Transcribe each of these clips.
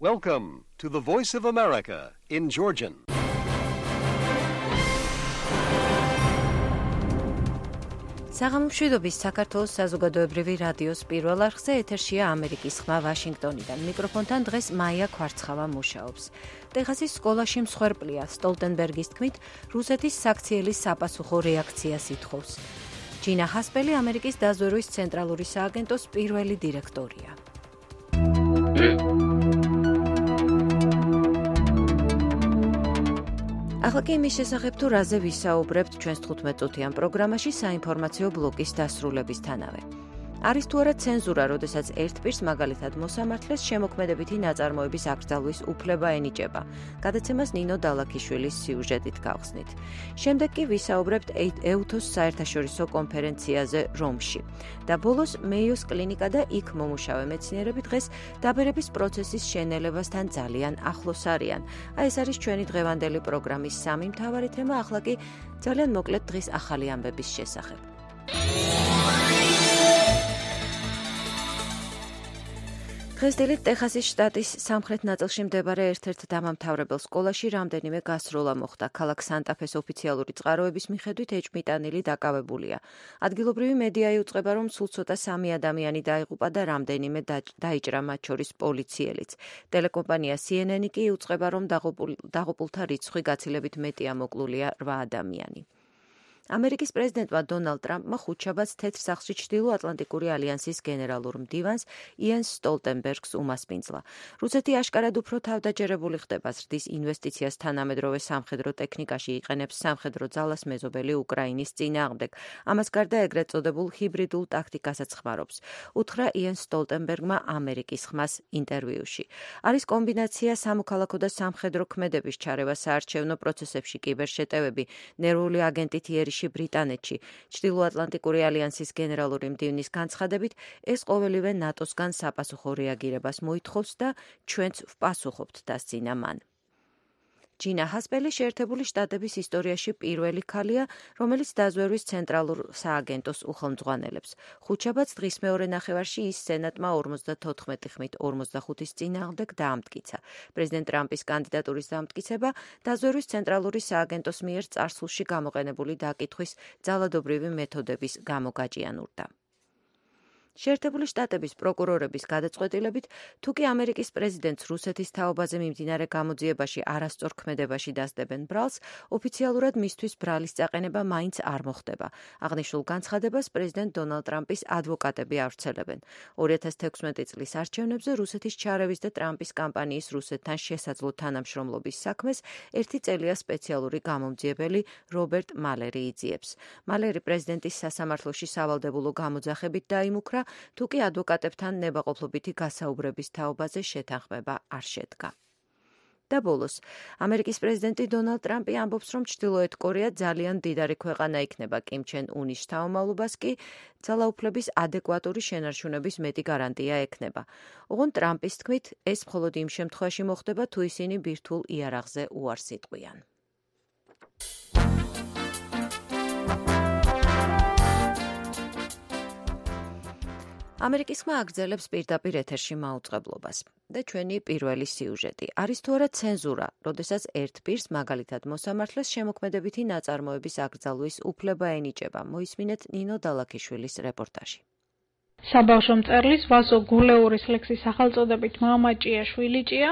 Welcome to the Voice of America in Georgian. საღამომშვიდობის საქართველოს საზოგადოებრივი რადიოს პირველ არხზე ეთერშია ამერიკის ხმა ვაშინგტონიდან. მიკროფონთან დღეს მაია ქვარცხავა მუშაობს. ტეხასის სკოლაში მსხვერპლია სტოლტენბერგის თქმით, რუსეთის საქციელის საპასუხო რეაქციას ითხოვს. ჯინა ჰასპელი ამერიკის დაზვერვის ცენტრალური სააგენტოს პირველი დირექტორია. ახლა კი იმის შესახებ თუ რაზე ვისაუბრებთ ჩვენს 15-წუთიან პროგრამაში საინფორმაციო ბლოკის დასრულებისთანავე. არის თუ არა ცენზურა, როდესაც ერთ პირს მაგალითად მოსამართლეს შემოქმედებითი ნაწარმოების აკრძალვის უფლება ენიჭება. გადაცემას ნინო დალაქიშვილის სიუჟეტით გავხსნით. შემდეგ კი ვისაუბრებთ ეუთოს საერთაშორისო კონფერენციაზე რომში. და ბოლოს მეიოს კლინიკა და იქ მომუშავე მეცნიერები დღეს დაბერების პროცესის შენელებასთან ძალიან ახლოს არიან. ეს არის ჩვენი დღევანდელი პროგრამის სამი მთავარი თემა, ახლა კი ძალიან მოკლედ დღის ახალი ამბების შესახებ. დღესდღეობით ტეხასის შტატის სამხრეთ ნაწილში მდებარე ერთ-ერთ დამამთავრებელ სკოლაში რამდენიმე გასროლა მოხდა. ქალაქ სანტა-ფეს ოფიციალური წყაროების მიხედვით ეჭვმიტანილი დაკავებულია. ადგილობრივი მედია იუწყება, რომ სულ ცოტა 3 ადამიანი დაიღუპა და რამდენიმე დაიჭრა, მათ შორის პოლიციელიც. ტელეკომპანია CNN კი იუწყება, რომ დაღუპულთა რიცხვი გაცილებით მეტია, მოკლულია 8 ადამიანი. ამერიკის პრეზიდენტმა დონალდ ტრამპმა ხუთშაბათს თეთრ სახლში ჩრდილო-ატლანტიკური ალიანსის გენერალურ მდივანს იენს სტოლტენბერგს უმასპინძლა. რუსეთი აშკარად უფრო თავდაჯერებული ხდება ზრდის ინვესტიციას თანამედროვე სამხედრო ტექნიკაში, იყენებს სამხედრო ძალას მეზობელი უკრაინის წინააღმდეგ. ამას გარდა ეგრეთ წოდებულ ჰიბრიდულ ტაქტიკასაც ხმარობს. უთხრა იენს სტოლტენბერგმა ამერიკის ხმას ინტერვიუში. არის კომბინაცია სამოქალაქო და სამხედრო ქმედების ჩარევა საარჩევნო პროცესებში, კიბერშეტევები, ნერვული აგენტით იერიში ბრიტანეთში. ჩრდილო-ატლანტიკური ალიანსის გენერალური მდივნის განცხადებით, ეს ყოველივე ნატოსგან საპასუხო რეაგირებას მოითხოვს და ჩვენც ვპასუხობთ, დასძინა მან. ჯინა ჰასპელი შეერთებული შტატების ისტორიაში პირველი ქალია, რომელიც დაზვერვის ცენტრალურ სააგენტოს უხელმძღვანელებს. ხუთშაბათს დღის მეორე ნახევარში ის სენატმა 54 ხმით 45-ის წინააღმდეგ დაამტკიცა. პრეზიდენტ ტრამპის კანდიდატურის დამტკიცება დაზვერვის ცენტრალური სააგენტოს მიერ წარსულში გამოყენებული დაკითხვის ძალადობრივი მეთოდების გამო გაჭიანურდა. შეერთებული შტატების პროკურორების გადაწყვეტილებით, თუკი ამერიკის პრეზიდენტს რუსეთის თაობაზე მიმდინარე გამოძიებაში არასწორ ქმედებაში დასდებენ ბრალს, ოფიციალურად მისთვის ბრალის წაყენება მაინც არ მოხდება. აღნიშნულ განცხადებას პრეზიდენტ დონალდ ტრამპის ადვოკატები ავრცელებენ. 2016 წლის არჩევნებზე რუსეთის ჩარევის და ტრამპის კამპანიის რუსეთთან შესაძლო თანამშრომლობის საქმეს ერთი წელია სპეციალური გამომძიებელი რობერტ მალერი იძიებს. მალერი პრეზიდენტის სასამართლოში სავალდებულო გამოძახებით დაიმუქრა, თუკი ადვოკატებთან ნებაყოფლობითი გასაუბრების თაობაზე შეთანხმება არ შედგა. და ბოლოს, ამერიკის პრეზიდენტი დონალდ ტრამპი ამბობს, რომ ჩრდილოეთ კორეა ძალიან მდიდარი ქვეყანა იქნება, კიმ ჩენ უნის შთამომავლობას კი ძალაუფლების ადეკვატური შენარჩუნების მეტი გარანტია ექნება. ოღონდ ტრამპის თქმით, ეს მხოლოდ იმ შემთხვევაში მოხდება, თუ ისინი ბირთვულ იარაღზე უარს იტყვიან. ამერიკის ხმა აგრძელებს პირდაპირ ეთერში მაუწყებლობას. და ჩვენი პირველი სიუჟეტი. არის თუ არა ცენზურა, როდესაც ერთ პირს, მაგალითად მოსამართლეს შემოქმედებითი ნაწარმოების აკრძალვის უფლება ენიჭება. მოისმინეთ ნინო დალაქიშვილის რეპორტაჟი. საბავშვო მწერლის ვასო გულეურის ლექსის სახელწოდებით მამა ჭია შვილი ჭია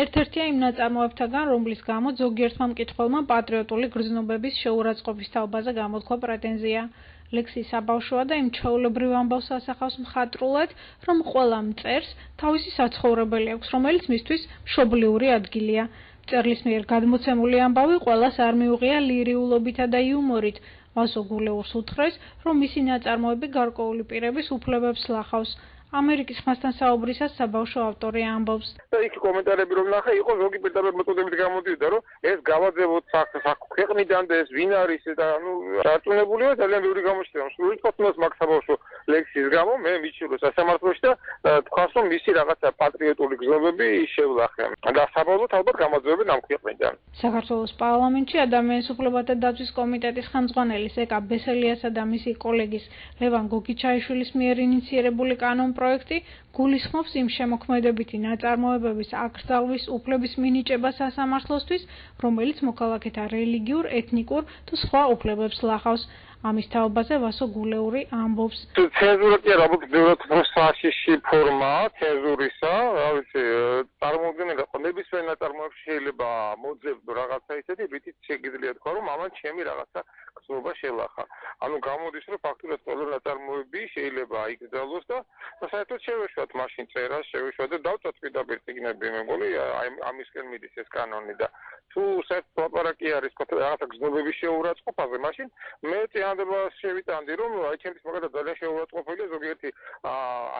ერთ-ერთია იმ ნაწარმოებთაგან, რომლის გამო ზოგიერთმა მკითხველმა პატრიოტული გრძნობების შეურაცხყოფის თაობაზე გამოთქვა პრეტენზია. ლექსი საბავშვოა და იმ ჩვეულებრივ ამბავს ასახავს მხატვრულად, რომ ყველა მწერს თავისი საცხოვრებელი აქვს, რომელიც მისთვის მშობლიური ადგილია. მწერლის მიერ გადმოცემული ამბავი ყველას არ მიუღია ლირიულობითა და იუმორით. ვასო გულეურს უთხრეს, რომ მისი ნაწარმოები გარკვეული პირების უფლებებს ლახავს. ამერიკის ხმასთან საუბრისას საბავშვო ავტორი ამბობს. და იქ კომენტარები რომ ნახე, იყო ზოგი პირდაპირ მოწოდებით გამოდიოდა, რომ ეს გავაძებოთ ქვეყნიდან და ეს ვინ არის და დარწმუნებულია ძალიან ბევრი გამოჩნდა. სრულად ფოტოს მაგ საბავშვო ლექსის გამო მე მიჩვიდო სასამართლოში და თქვას რომ მისი რაღაცა პატრიოტული გზნობები შევლახე. და საბოლოოდ ალბათ გამაძევებენ ამ ქვეყნიდან. საქართველოს პარლამენტში ადამიანის უფლებათა დაცვის კომიტეტის ხელმძღვანელი ეკა ბესელიასა და მისი კოლეგის ლევან გოგიჩაიშვილის მიერ ინიცირებული კანონპროექტი კანონპროექტი გულისხმობს იმ შემოქმედებითი ნაწარმოებების აკრძალვის უფლების მინიჭებას სასამართლოსთვის, რომელიც მოქალაქეთა რელიგიურ, ეთნიკურ თუ სხვა უფლებებს ლახავს. ამის თაობაზე ვასო გულეური ამბობს. ცენზურა კი არა, უბრალოდ პროცესში ფორმაა ცენზურისა, რა ვიცი, წარმოუდგენელი ნებისმიერ ნაწარმოებში შეიძლება მოძებნო რაღაცა ისეთი, რითიც შეგიძლია თქვა, რომ ამან ჩემი რაღაცა გრძნობა შელახა. ანუ გამოდის, რომ ფაქტურად ყველა ნაწარმოები შეიძლება იკრძალოს და საერთოდ შევეშვათ მაშინ წერას, შევეშვათ და დავწვათ პირდაპირ წიგნები, მე მგონი, ამისკენ მიდის ეს კანონი და თუ საერთოდ ლაპარაკი არის რაღაცა გრძნობების შეურაცხყოფაზე, მაშინ მე წინადადებას შევიტანდი, რომ აი ჩემთვის მაგალითად ძალიან შეურაცხყოფილია ზოგიერთი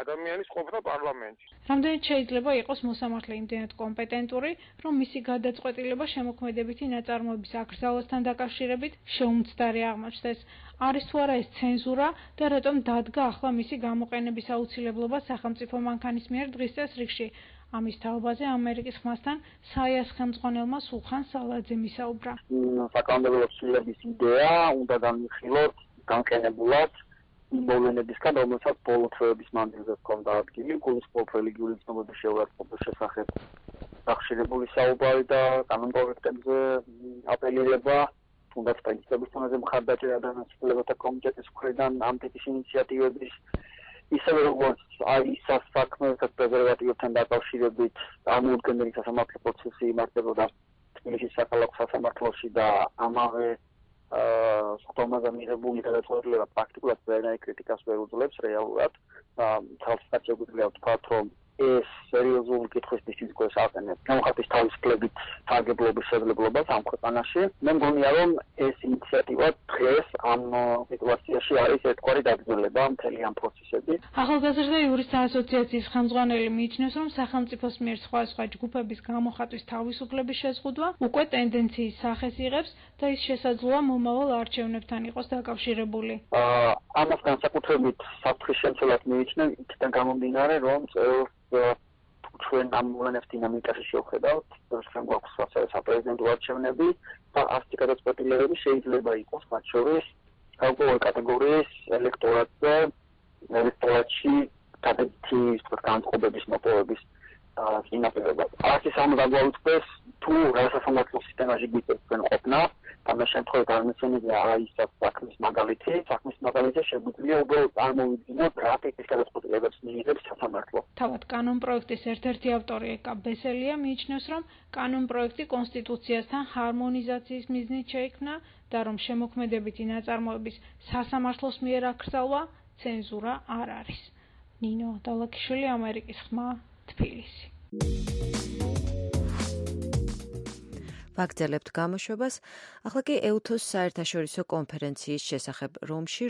ადამიანის ყოფნა პარლამენტში. რამდენად შეიძლება იყოს მოსამართლე იმდენად კომპეტენტური, რომ მისი გადაწყვეტილება შემოქმედებითი ნაწარმოების აკრძალვასთან დაკავშირებით შეუმცდარი აღმოჩნდეს. არის თუ არა ეს ცენზურა და რატომ დადგა ახლა მისი გამოყენების აუცილებლობა სახელმწიფო მანქანის მიერ დღის წესრიგში? ამის თაობაზე ამერიკის ხმასთან საიას ხელმძღვანელმა სულხან სალაძემ ისაუბრა. საკანონმდებლო ცვლილების იდეა უნდა განვიხილოთ განყენებულად მოვლენებისგან, რომელსაც ბოლო თვეების მანძილზე ჰქონდა ადგილი, გულისხმობ რელიგიური ცნობების შეურაცხყოფის შესახებ დახშირებული საუბარი და კანონპროექტებზე აპელირება, თუნდაც პრინციპების თემაზე მხარდაჭერა და ნაცვლებათა კომიტეტის მხრიდან ამ ტიპის ინიციატივების ისევე როგორც აი სასაქმეთა პრეზერვატივებთან დაკავშირებით წარმოუდგენელი სასამართლო პროცესი იმართებოდა თბილისის საქალაქო სასამართლოში და ამავე სხდომაზე მიღებული გადაწყვეტილება პრაქტიკულად ვერანაირ კრიტიკას ვერ უძლებს რეალურად. თვალსაჩინო შეგვიძლია ვთქვათ, რომ ეს სერიოზული კითხვისთვის ისկოს აყენებს გამოხატვის თავისუფლებით სარგებლობის შესაძლებლობას ამ ქვეყანაში. მე მგონია, რომ ეს ინიციატივა დღეს ამ სიტუაციაში არის ერთგვარი დაგრძელება მთელი ამ პროცესების. ახალგაზრდა იურისტთა ასოციაციის ხელმძღვანელი მიიჩნევს, რომ სახელმწიფოს მიერ სხვა ჯგუფების გამოხატვის თავისუფლების შეზღუდვა უკვე ტენდენციის სახეს იღებს და ის შესაძლოა მომავალ არჩევნებთან იყოს დაკავშირებული. ამას განსაკუთრებით საფრთხის შემცველად მიიჩნევ იქიდან გამომდინარე, რომ ჩვენ ამ მოვლენებს დინამიკაში შევხედავთ, რომ გვაქვს საპრეზიდენტო არჩევნები და ასეთი გადაწყვეტილებები შეიძლება იყოს მათ შორის ყოველ კატეგორიის ელექტორატში დადებითი განწყობების მოპოვების წინაპირობად. ასის ამ დაგვაუწყდეს თუ რა სასამართლო სისტემაში გვიწევს ყოფნა, ამ შემთხვევაში აღმოცენებია აი საქმის მაგალითი შეგვიძლია უბრალოდ წარმოვიდგინოთ რა ტიპის გადაწყვეტილებებს მიიღებს სასამართლო. თავად კანონპროექტის ერთ-ერთი ავტორი ეკა ბესელია მიიჩნევს, რომ კანონპროექტი კონსტიტუციასთან ჰარმონიზაციის მიზნით შეიქმნა და რომ შემოქმედებითი ნაწარმოების სასამართლოს მიერ აკრძალვა ცენზურა არ არის. ნინო დალაქიშვილი, ამერიკის ხმა, თბილისი. ვაგრძელებთ გამოშვებას. ახლა კი ეუთოს საერთაშორისო კონფერენციის შესახებ რომში,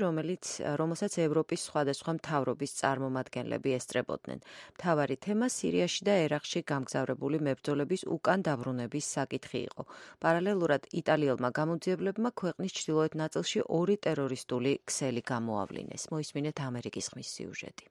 რომელსაც ევროპის სხვადასხვა მთავრობის წარმომადგენლები ესწრებოდნენ. მთავარი თემა სირიაში და ერაყში გამგზავრებული მებრძოლების უკან დაბრუნების საკითხი იყო. პარალელურად იტალიელმა გამოძიებლებმა ქვეყნის ჩრდილოეთ ნაწილში 2 ტერორისტული ქსელი გამოავლინეს. მოისმინეთ ამერიკის ხმის სიუჟეტი.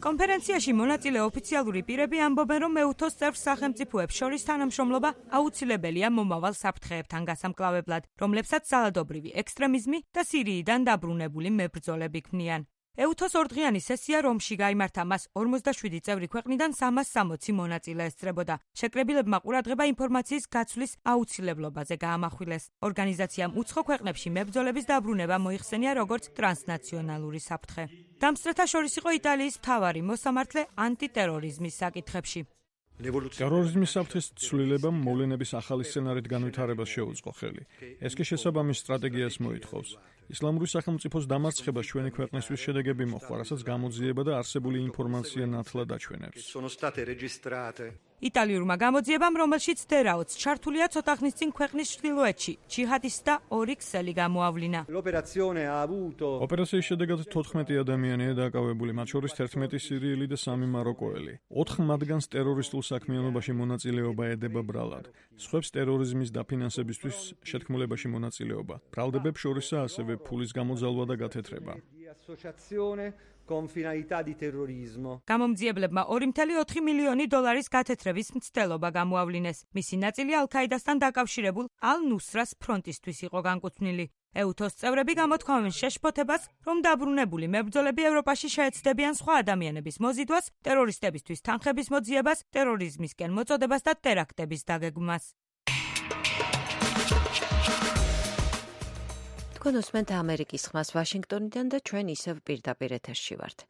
კონფერენციაში მონაწილე ოფიციალური პირები ამბობენ, რომ ეუთოს წევრ სახელმწიფოებს შორის თანამშრომლობა აუცილებელია მომავალ საფრთხეებთან გასამკლავებლად, რომლებსაც ძალადობრივი ექსტრემიზმი და სირიიდან დაბრუნებული მებრძოლები ქმნიან. ეუთოს ორდღიანი სესია რომში გაიმართა, მას 47 წევრი ქვეყნიდან 360 მონაწილე ესწრებოდა. შეკრებილებმა ყურადღება ინფორმაციის გაცვლის აუცილებლობაზე გაამახვილეს. ორგანიზაციამ უცხო ქვეყნებში მებრძოლების დაბრუნება მოიხსენია როგორც ტრანსნაციონალური საფრთხე. დამსწრეთა შორის იყო იტალიის მთავარი მოსამართლე ანტიტერორიზმის საკითხებში. ტერორიზმის საფრთხის ცვლილებამ მოვლენების ახალი სცენარით განვითარებას შეუწყო ხელი. ეს კი შესაბამის სტრატეგიას მოითხოვს. ისლამური სახელმწიფოს დამარცხებას ჩვენი ქვეყნისთვის შედეგები მოჰყვა, რასაც გამოძიება და არსებული ინფორმაცია ნათლად აჩვენებს. იტალიურმა გამოძიებამ, რომელშიც დერაოც ჩართულია ცოტა ხნის წინ ქვეყნის ჩრდილოეთში, ჯიჰადისტთა 2 ქსელი გამოავლინა. ოპერაციის შედეგად 14 ადამიანია დაკავებული, მათ შორის 11 სირიელი და 3 მაროკოელი. 4 მათგანს ტერორისტულ საქმიანობაში მონაწილეობა ედება ბრალად. სხვებს ტერორიზმის დაფინანსებისთვის შეთქმულებაში მონაწილეობა. ბრალდებებს შორისაა ასევე ფულის გამოძალვა და გათეთრება. გამომძიებლებმა 2.4 მილიონი დოლარის გათეთრების მცდელობა გამოავლინეს. მისი ნაწილი ალ-ქაიდასთან დაკავშირებულ ალ-ნუსრას ფრონტისთვის იყო განკუთვნილი. ეუთოს წევრები გამოთქვამენ შეშფოთებას, რომ დაბრუნებული მებრძოლები ევროპაში შეეცდებიან სხვა ადამიანების მოზიდვას, ტერორისტებისთვის თანხების მოძიებას, ტერორიზმისკენ მოწოდებას და ტერაქტების დაგეგმვას. თქვენ უსმენთ ამერიკის ხმას ვაშინგტონიდან და ჩვენ ისევ პირდაპირ ეთერში ვართ.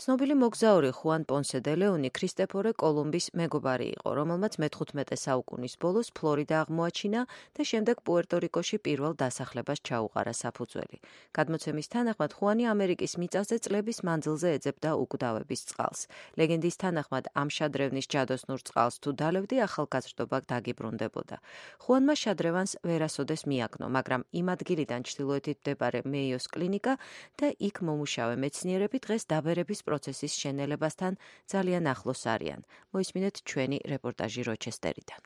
ცნობილი მოგზაური ხუან პონსე დე ლეონი ქრისტეფორე კოლუმბის მეგობარი იყო, რომელმაც მე-15 საუკუნის ბოლოს ფლორიდა აღმოაჩინა და შემდეგ პუერტო-რიკოში პირველ დასახლებას ჩაუყარა საფუძველი. გადმოცემის თანახმად ხუანი ამერიკის მიწაზე წლების მანძილზე ეძებდა უკვდავების წყალს. ლეგენდის თანახმად ამ შადრევნის ჯადოსნურ წყალს თუ დალევდი, ახალგაზრდობა დაგიბრუნდებოდა. ხუანმა შადრევანს ვერასოდეს მიაგნო, მაგრამ იმ ადგილიდან ჩრდილოეთით მდებარე მეიოს კლინიკა და იქ მომუშავე მეცნიერები დღეს დაბერების პროცესის შენელებასთან ძალიან ახლოს არიან. მოისმინეთ ჩვენი რეპორტაჟი როჩესტერიდან.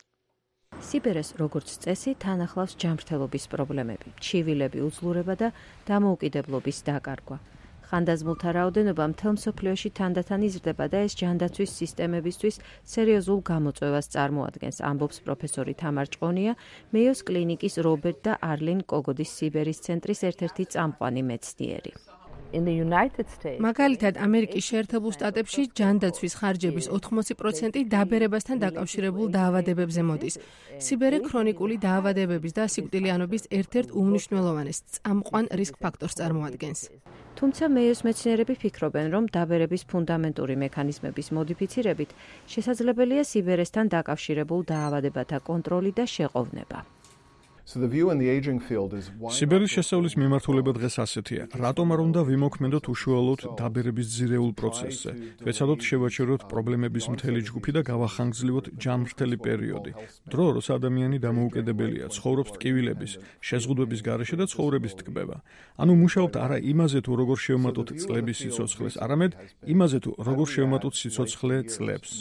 სიბერეს როგორც წესი თან ახლავს ჯანმრთელობის პრობლემები, ჩივილები, უძლურება და დამოუკიდებლობის დაკარგვა. ხანდაზმულთა რაოდენობა მთელ მსოფლიოში თანდათან იზრდება და ეს ჯანდაცვის სისტემებისთვის სერიოზულ გამოწვევას წარმოადგენს, ამბობს პროფესორი თამარ ჭყონია, მეიოს კლინიკის რობერტ და არლინ კოგოდის სიბერის ცენტრის ერთ-ერთი წამყვანი მეცნიერი. მაგალითად, ამერიკის შეერთებულ შტატებში ჯანდაცვის ხარჯების 80% დაბერებასთან დაკავშირებულ დაავადებებზე მოდის. სიბერე ქრონიკული დაავადებების და სიკვდილიანობის ერთ-ერთ უმნიშვნელოვანეს წამყვან რისკ ფაქტორს წარმოადგენს. თუმცა მეიოს მეცნიერები ფიქრობენ, რომ დაბერების ფუნდამენტური მექანიზმების მოდიფიცირებით შესაძლებელია სიბერესთან დაკავშირებულ დაავადებათა კონტროლი და შეყოვნება. სიბერის შესწავლის მიმართულება დღეს ასეთია. რატომ არ უნდა ვიმოქმედოთ უშუალოდ დაბერების ძირეულ პროცესზე? ვეცადოთ შევაჩეროთ პრობლემების მთელი ჯგუფი და გავახანგრძლივოთ ჯანმრთელი პერიოდი. დრო, როცა ადამიანი დამოუკიდებელია, ცხოვრობს ტკივილების, შეზღუდვების გარეშე და ცხოვრების ტკბება. ანუ მუშაობთ არა იმაზე თუ როგორ შევმატოთ წლების სიცოცხლეს, არამედ იმაზე თუ როგორ შევმატოთ სიცოცხლე წლებს.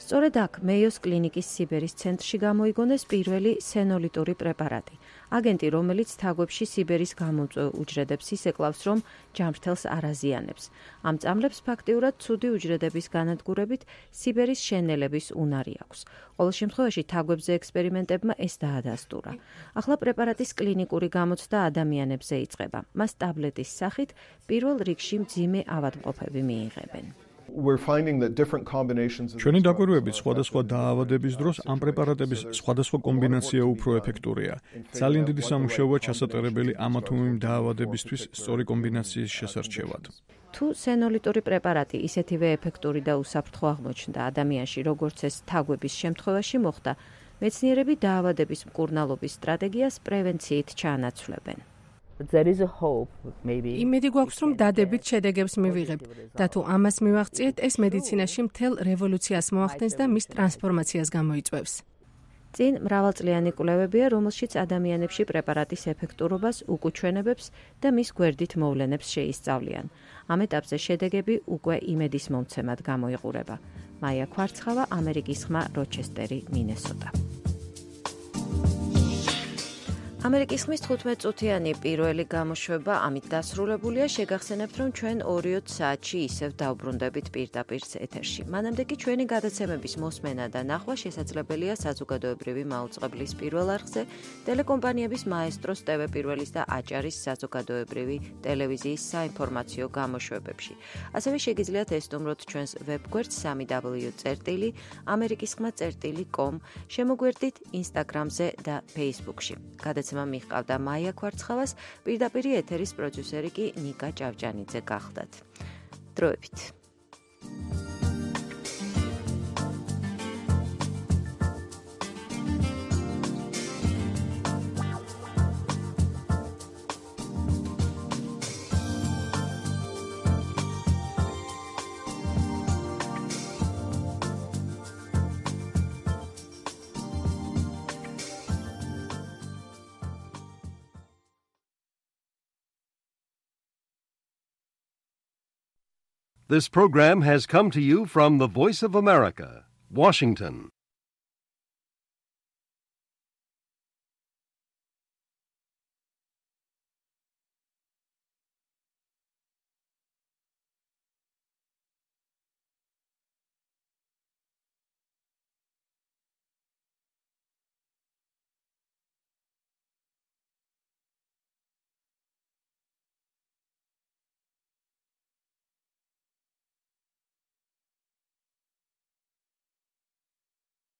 სწორედ აქ მეიოს კლინიკის სიბერის ცენტრში გამოიგონეს პირველი სენოლიტური პრეპარატი. აგენტი, რომელიც თაგვებში სიბერის გამომწვევ უჯრედებს ისეკლავს, რომ ჯანმრთელს არ აზიანებს. ამ წამლებს ფაქტიურად ცუდი უჯრედების განადგურებით სიბერის შენელების უნარი აქვს. ყოველ შემთხვევაში თაგვებზე ექსპერიმენტებმა ეს დაადასტურა. ახლა პრეპარატის კლინიკური გამოცდა ადამიანებზე იწყება. მას ტაბლეტის სახით პირველ რიგში მძიმე ავადმყოფები მიიღებენ. ჩვენი დაკვირვებით სხვადასხვა დაავადების დროს ამ პრეპარატების სხვადასხვა კომბინაცია უფრო ეფექტურია. ძალიან დიდი სამუშაოა ჩასატარებელი ამა თუ იმ დაავადებისთვის სწორი კომბინაციის შესარჩევად. თუ სენოლიტური პრეპარატი ისეთივე ეფექტური და უსაფრთხო აღმოჩნდა ადამიანში, როგორც ეს თაგვების შემთხვევაში მოხდა, მეცნიერები დაავადების მკურნალობის სტრატეგიას პრევენციით ჩაანაცვლებენ. იმედი გვაქვს, რომ დადებით შედეგებს მივიღებთ და თუ ამას მივაღწიეთ, ეს მედიცინაში მთელ რევოლუციას მოახდენს და მის ტრანსფორმაციას გამოიწვევს. წინ მრავალწლიანი კვლევებია, რომელშიც ადამიანებში პრეპარატის ეფექტურობას, უკუჩვენებებს და მის გვერდით მოვლენებს შეისწავლიან. ამ ეტაპზე შედეგები უკვე იმედის მომცემად გამოიყურება. მაია ქვარცხავა, ამერიკის ხმა, როჩესტერი, მინესოტა. ამერიკის ხმის 15 წუთიანი პირველი გამოშვება ამით დასრულებულია. შეგახსენებთ, რომ ჩვენ 2 საათში ისევ დავბრუნდებით პირდაპირ ეთერში. მანამდე კი ჩვენი გადაცემების მოსმენა და ნახვა შესაძლებელია საზოგადოებრივი მაუწყებლის პირველ არხზე, ტელეკომპანიების მაესტროს, TV პირველის და აჭარის საზოგადოებრივი ტელევიზიის საინფორმაციო გამოშვებებში. ასევე შეგიძლიათ ესტუმროთ ჩვენს ვებგვერდს www.amerikiskhma.com, შემოგვერდით Instagram-ზე და Facebook-ში. მიჰყავდა მაია ქვარცხავას, პირდაპირ ეთერის პროდიუსერი კი ნიკა ჭავჭანიძე გახლდათ. დროებით. This program has come to you from the Voice of America, Washington.